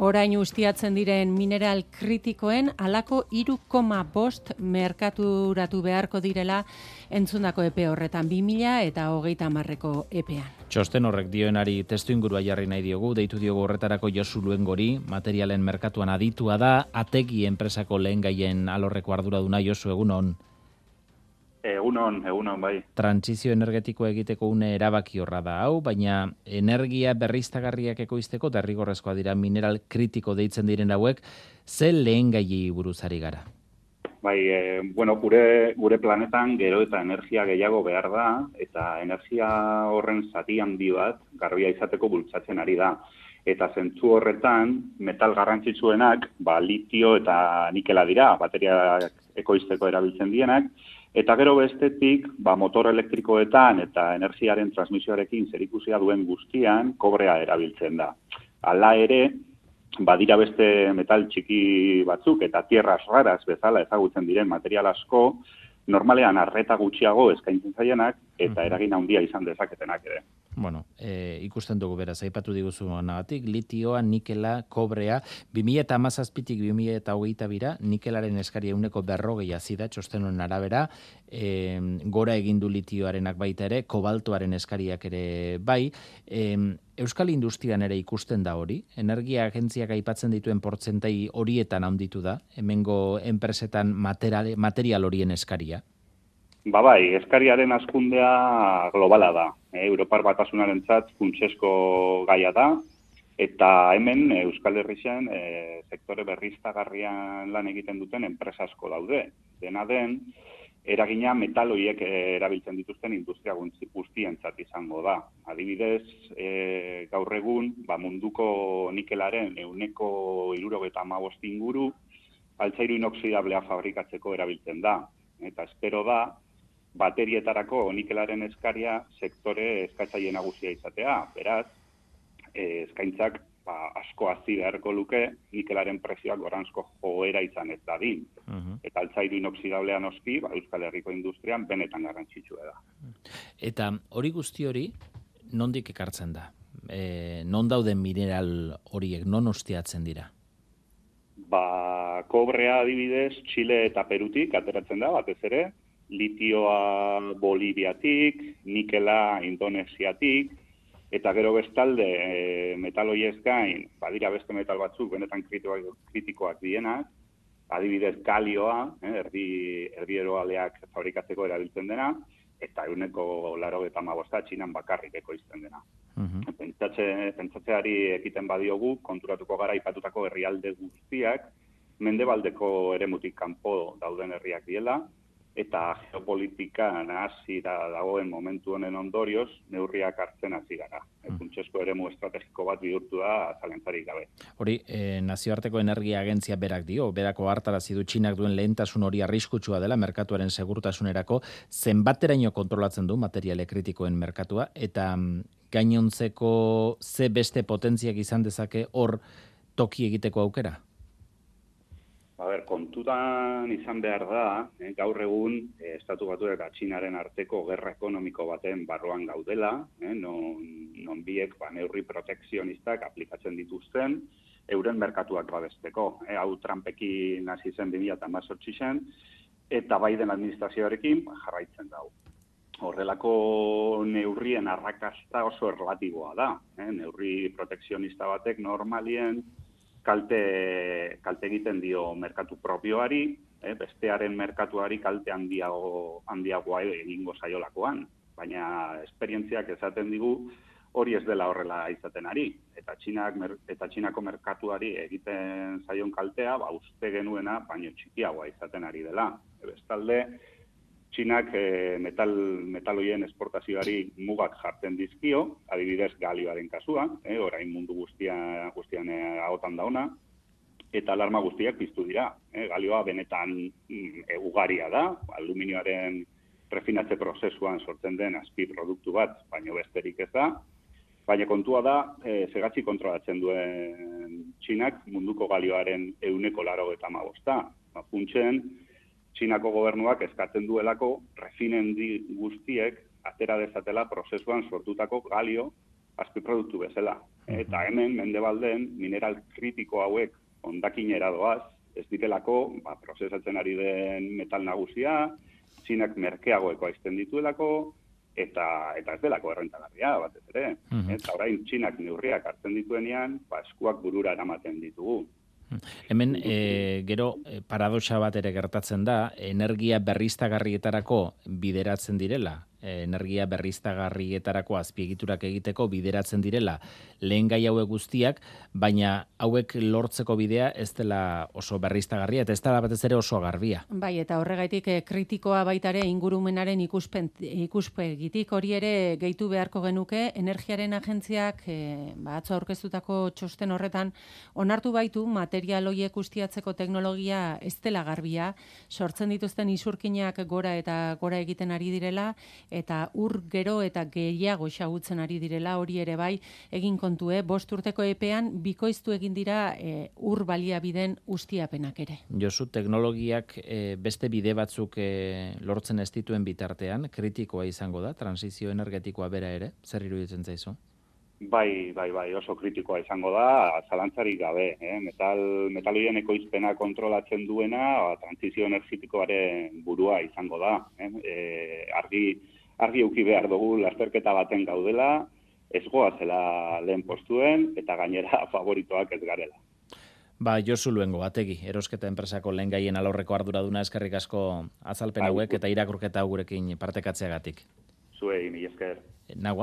Orain ustiatzen diren mineral kritikoen halako 3,5 merkaturatu beharko direla entzundako epe horretan 2030ko epean. Txosten horrek dioenari testuingurua jarri nahi diogu, deitu diogu horretarako Josu Luengori, materialen merkatuan aditua da, Ategi enpresako lehengaien alorreko arduraduna. Josu, egunon. Egunon, bai. Trantsizio energetikoa egiteko une erabaki horra da hau, baina energia berriztagarriak ekoizteko derrigorrezkoa dira mineral kritiko deitzen diren hauek, ze lehengailei buruz ari gara? Bai, gure planetan gero eta energia gehiago behar da, eta energia horren zati handi bat garbia izateko bultzatzen ari da. Eta zentzu horretan, metal garrantzitsuenak, litio eta nikela dira, bateriak ekoizteko erabiltzen dienak, eta gero bestetik, motor elektrikoetan eta energiaren transmisioarekin zerikusia duen guztian, kobrea erabiltzen da. Hala ere, badira beste metal txiki batzuk eta tierras raras bezala ezagutzen diren material asko, normalean arreta gutxiago eskaintzen zaienak eta eragin handia izan dezaketenak ere. Bueno, ikusten dugu beraz, aipatu diguzu nagatik, litioa, nikela, kobrea, 2017tik 2022 nikelaren eskaria 40% hazi da, txosten honen arabera, gora egin du litioarenak baita ere, kobaltoaren eskariak ere bai, Euskal Industrian ere ikusten da hori, energia agentziak aipatzen dituen portzentai horietan handitu da, hemengo enpresetan material horien eskaria. Bai, eskariaren hazkundea globala da. Europar Batasunarentzat funtsezko gaia da, eta hemen Euskal Herrian sektore berriztagarrian lan egiten duten enpresa asko daude. Dena den, eragina metal horiek erabiltzen dituzten industria guztientzat izango da. Adibidez, gaur egun, munduko nikelaren 75% inguru altzairu inoxidablea fabrikatzeko erabiltzen da. Eta espero da, baterietarako nikelaren eskaria sektore eskatzaile nagusia izatea. Beraz, eskaintzak asko hazi beharko luke nikelaren prezioak goranzko joera izan ez dadin. Eta altzairu inoxidablea noski, Euskal Herriko industrian benetan garrantzitsua da. Eta hori guzti hori, nondik ekartzen da? Non dauden mineral horiek, non ustiatzen dira? Kobrea adibidez, Txile eta Perutik ateratzen da, batez ere, litioa Boliviatik, nikela Indonesiatik, eta gero bestalde metal horiez gain, badira beste metal batzuk, benetan kritikoak dienak, adibidez galioa, erdieroaleak fabrikatzeko erabiltzen dena, eta 95% Txinan bakarrik ekoizten dena. Pentsatzeari ekiten badiogu, konturatuko gara aipatutako herrialde guztiak, mendebaldeko eremutik kanpo dauden herriak diela, eta geopolitika hasi dagoen momentu honen ondorioz, neurriak hartzen hasi gara. Funtsezko eremu estrategiko bat bihurtu da zalantzarik gabe. Hori, nazioarteko energia agentzia berak dio, berako hartarazi du Txinak duen lehentasun hori arriskutsua dela merkatuaren segurtasunerako, zenbateraino kontrolatzen du materiale kritikoen merkatua, eta gainontzeko ze beste potentziak izan dezake hor toki egiteko aukera? Kontutan izan behar da, gaur egun Estatu Batuak eta Txinaren arteko gerra ekonomiko baten barruan gaudela, non biek neurri protekzionistak aplikatzen dituzten, euren merkatuak babesteko. Hau Trumpekin hasi zen 2018 eta Biden administrazioarekin jarraitzen dau. Horrelako neurrien arrakasta oso erlatiboa da. Neurri protekzionista batek normalien kalte egiten dio merkatu propioari, bestearen merkatuari kalte handiagoa egingo zaiolakoan. Baina esperientziak esaten digu hori ez dela horrela izaten ari. Eta Txinako merkatuari egiten zaion kaltea, uste genuena, baino txikiagoa izaten ari dela. Bestalde, Txinak metal horien esportazioari mugak jartzen dizkio, adibidez galioaren kasua, orain mundu guztian ahotan dauna, eta alarma guztiak piztu dira. Galioa benetan ugaria da, aluminioaren refinatze prozesuan sortzen den azpiproduktu bat, baino besterik ez da, baina kontua da, segatzi kontrolatzen duen Txinak munduko galioaren 95%. Funtsen, Txinako gobernuak eskatzen duelako refinendi guztiek atera dezatela prozesuan sortutako galio azpiproduktu bezala. Eta hemen, Mendebalden, mineral kritiko hauek hondakinera doaz, ez direlako, prozesatzen ari den metal nagusia, Txinak merkeago ekoizten dituelako, eta ez delako errentagarria, batez ere. Eta orain Txinak neurriak hartzen dituenean, eskuak burura eramaten ditugu. Hemen, gero, paradoxa bat ere gertatzen da, energia berriztagarrietarako bideratzen direla, energia berriztagarrietarako azpiegiturak egiteko bideratzen direla lehen gai hauek guztiak, baina hauek lortzeko bidea ez dela oso berriztagarria, eta ez dela batez ere oso garbia. Bai, eta horregaitik kritikoa baita ere ingurumenaren ikuspegitik hori ere gehitu beharko genuke, energiaren agentziak atzo aurkeztutako txosten horretan onartu baitu material horiek ustiatzeko teknologia ez dela garbia, sortzen dituzten isurkinak gora eta gora egiten ari direla, eta ur gero eta gehiago xagutzen ari direla, hori ere bai egin kontue, 5 urteko epean bikoiztu egin dira ur baliabideen ustiapenak ere. Josu, teknologiak beste bide batzuk lortzen ez dituen bitartean, kritikoa izango da, transizio energetikoa bera ere, zer iruditzen zaizu? Bai, oso kritikoa izango da, zalantzarik gabe. Metalien ekoizpena kontrolatzen duena, transizio energetikoaren burua izango da. Argi euki behar dugu lasterketa baten gaudela, ez goazela lehen postuen, eta gainera favoritoak ez garela. Josu Luengo, Ategi, erosketa enpresako lehen gaien alorreko arduraduna, eskerrik asko azalpen hauek eta irakurketa gurekin partekatzeagatik. Zuei, mila esker.